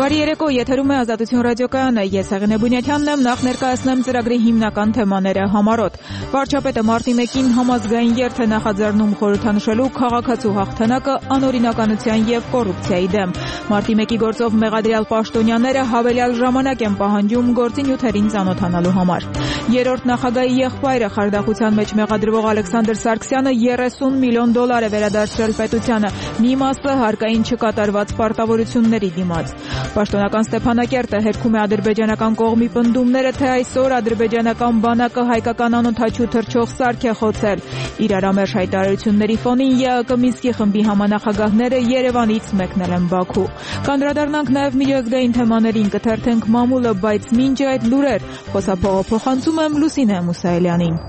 Բարի երեկո, եթերում է Ազատություն ռադիոկայանը, ես Հեղինե Բունյաթյանն եմ, նախ ներկայացնեմ ծրագրի հիմնական թեմաները համառոտ։ Վարչապետը մարտի 1-ին համազգային երթ է նախաձեռնում խորհրդանշելու քաղաքացու հաղթանակը անօրինականության եւ կոռուպցիայի դեմ։ Մարտի 1-ի գործով մեղադրյալ պաշտոնյաները հավելյալ ժամանակ են պահանջում գործի նյութերին ծանոթանալու համար։ Երրորդ նախագահի եղբայրը խարդախության մեջ մեղադրվող Ալեքսանդր Սարգսյանը $30 միլիոն է վերադարձրել պետությանը, մի մասը հարկային չկատարված պարտավորությունների դիմաց։ Պաշտոնական Ստեփանակերտը հերքում է ադրբեջանական կողմի պնդումները, թե այսօր ադրբեջանական բանակը հայկական անօդաչու թռչող սարք է խոցել։ Իրարամերժ հայտարարությունների ֆոնին ԵԱԿ Մինսկի խմբի համանախագահները Երևանից մեկնել են Բաքու։ Կանդրադառնանք նաև միջազգային թեմաներին, կթերթենք մամուլը, բայց մինչ այդ լուրեր, խոսափողը փոխանցում եմ Լուսինե Մուսայելյանին։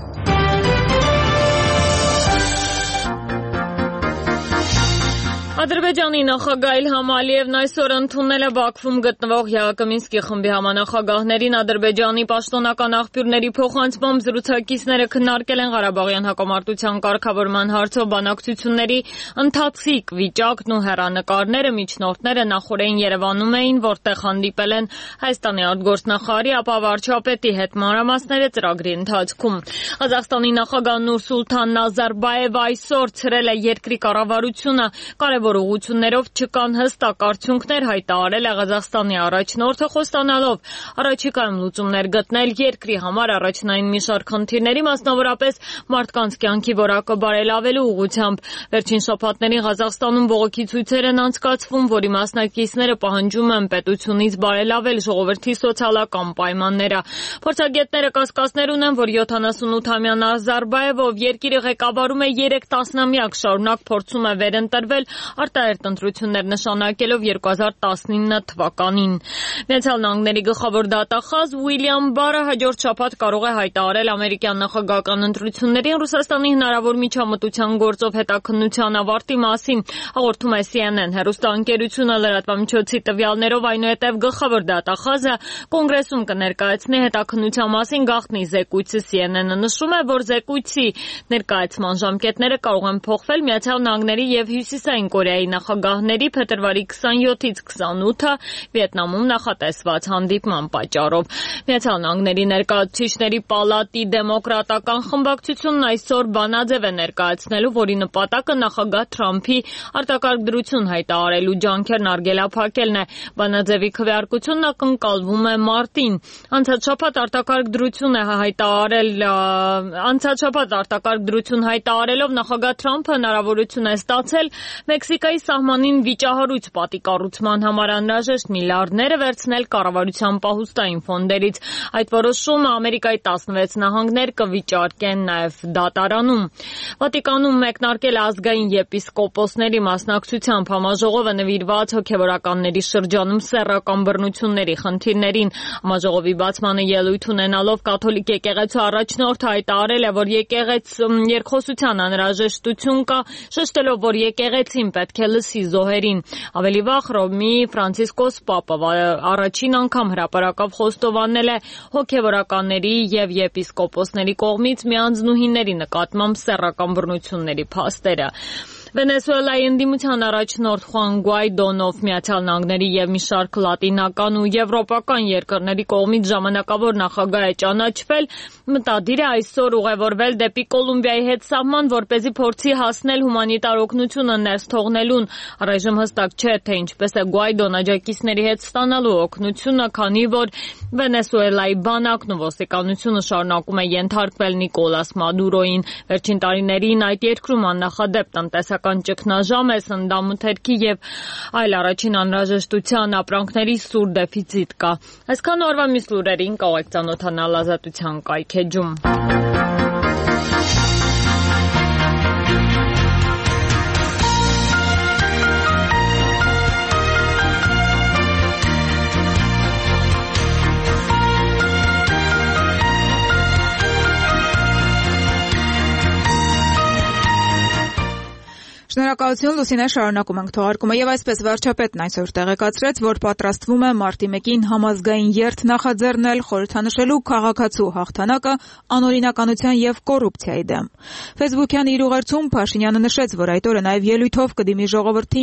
Ադրբեջանի նախագահ Իլհամ Ալիևն այսօր ընդունել է Բաքվում գտնվող ԵԱԿ Մինսկի խմբի համանախագահներին Ադրբեջանի պաշտոնական աղբյուրների փոխանցմամբ զրուցակիցները քննարկել են Ղարաբաղյան հակամարտության կարգավորման հարցով բանակցությունների ընթացիկ վիճակն ու հեռանկարները միջնորդները նախօրեին Երևանում էին, որտեղ հանդիպել են Հայաստանի արտգործնախարարի, ապա վարչապետի հետ մանրամասները ծրագրի ընթացքում։ Ղազախստանի նախագահ Նուրսուլթան Նազարբաևը այսօր ցրել է երկրի կառավարությունը կարևոր ուղղություններով չկան հստակ արդյունքներ հայտարարել է Ղազախստանի առաջնորդը խոստանալով առաջիկայում լուծումներ գտնել երկրի համար առաջնային մի շարք խնդիրների, մասնավորապես մարդկանց կյանքի որակը բարելավելու ուղղությամբ։ Վերջին շաբաթներին Ղազախստանում բողոքի ցույցեր են անցկացվում, որի մասնակիցները պահանջում են պետությունից բարելավել ժողովրդի սոցիալական պայմանները։ Փորձագետները կասկածներ ունեն, որ 78-ամյա Նազարբաևը, ով երկիրը ղեկավարում է 3 տասնամյակ շարունակ փորձում է վերընտրվել արտահերթ ընտրություններ նշանակելով 2019 թվականին։ Միացյալ Նահանգների գլխավոր դատախազ Ուիլյամ Բարը հաջորդ շաբաթ կարող է հայտարարել ամերիկյան նախագահական ընտրություններին Ռուսաստանի հնարավոր միջամտության գործով հետաքննության ավարտի մասին, հաղորդում է CNN հեռուստաընկերությունը լրատվամիջոցի տվյալներով, այնուհետև գլխավոր դատախազը կոնգրեսում կներկայացնի հետաքննության մասին գաղտնի զեկույցը։ CNN-ը նշում է, որ զեկույցի ներկայացման ժամկետները կարող են փոխվել Միացյալ Նահանգների եւ Հյուսիսային Կորեայի նախագահների փետրվարի 27-ից 28-ը Վիետնամում նախատեսված հանդիպման պատճառով։ Միացյալ Նահանգների ներկայացուցիչների պալատի դեմոկրատական խմբակցությունն այսօր բանաձև է ներկայացնելու, որի նպատակը նախագահ Թրամփի արտակարգ դրություն հայտարարելու ջանքերն արգելափակելն է։ Բանաձևի քվեարկությունն ակնկալվում է մարտին։ Անցած շաբաթ արտակարգ դրություն հայտարարելով նախագահ Թրամփը հնարավորություն է ստացել Մեքսիկայի սահմանին վիճահարույց պատի կառուցման համար անհրաժեշտ միլիարդները վերցնել կառավարության պահուստային ֆոնդերից։ Այդ որոշումը Ամերիկայի 16 նահանգներ կվիճարկեն նաև դատարանում։ Վատիկանում մեկնարկել ազգային եպիսկոպոսների մասնակցությամբ համաժողովը նվիրված հոգևորականների շրջանում սեռական բռնությունների խնդիրներին։ Համաժողովի բացմանը ելույթ ունենալով կաթոլիկ եկեղեցու առաջնորդը հայտարարել է, որ երկխոսության անհրաժեշտություն կա, շեշտելով, որ եկեղեցին պետք է լսի զոհերին։ Ավելի վաղ Հռոմի Ֆրանցիսկոս Պապը առաջին անգամ հրապարակավ խոստովանել է հոգևորականների եւ եպիսկոպոսների կողմից միանձնուհիների նկատմամբ սեռական բռնությունների փաստերը։ Վենեսուելայի ընդդիմության առաջնորդ Խուան Գուայդոն, ով Միացյալ Նահանգների եւ մի շարք լատինական ու եվրոպական երկրների կողմից ժամանակավոր նախագահ է ճանաչվել, մտադիր է այսօր ուղևորվել դեպի Կոլումբիայի հետ սահման, որպեսզի փորձի հասնել հումանիտար օգնությունը ներս թողնելուն։ Առայժմ հստակ չէ, թե ինչպես է Գուայդոն աջակիցների հետ ստանալու օգնությունը, քանի որ Վենեսուելայի բանակն ու ոստիկանությունը շարունակում է ենթարկվել Նիկոլաս Մադուրոյին։ Վերջին տարիներին այդ երկրում աննախադեպ տնտեսական ճգնաժամ է, սննդամթերքի եւ այլ առաջին անհրաժեշտության ապրանքների սուր դեֆիցիտ կա։ Այսքան օրվա մյուս լուրերին կարող եք ծանոթանալ Ազատության կայքեջում։ Շնորհակալություն, Լուսինե, շարունակում ենք թողարկումը եւ այսպես վարչապետն այսօր տեղեկացրեց, որ պատրաստվում է մարտի 1-ին համազգային երթ նախաձեռնել խորհրդանշելու քաղաքացու հաղթանակը անօրինականության եւ կոռուպցիայի դեմ։ Facebook-յան իր ուղերձում Փաշինյանը նշեց, որ այդ օրը նաեւ ելույթով կդիմի ժողովրդին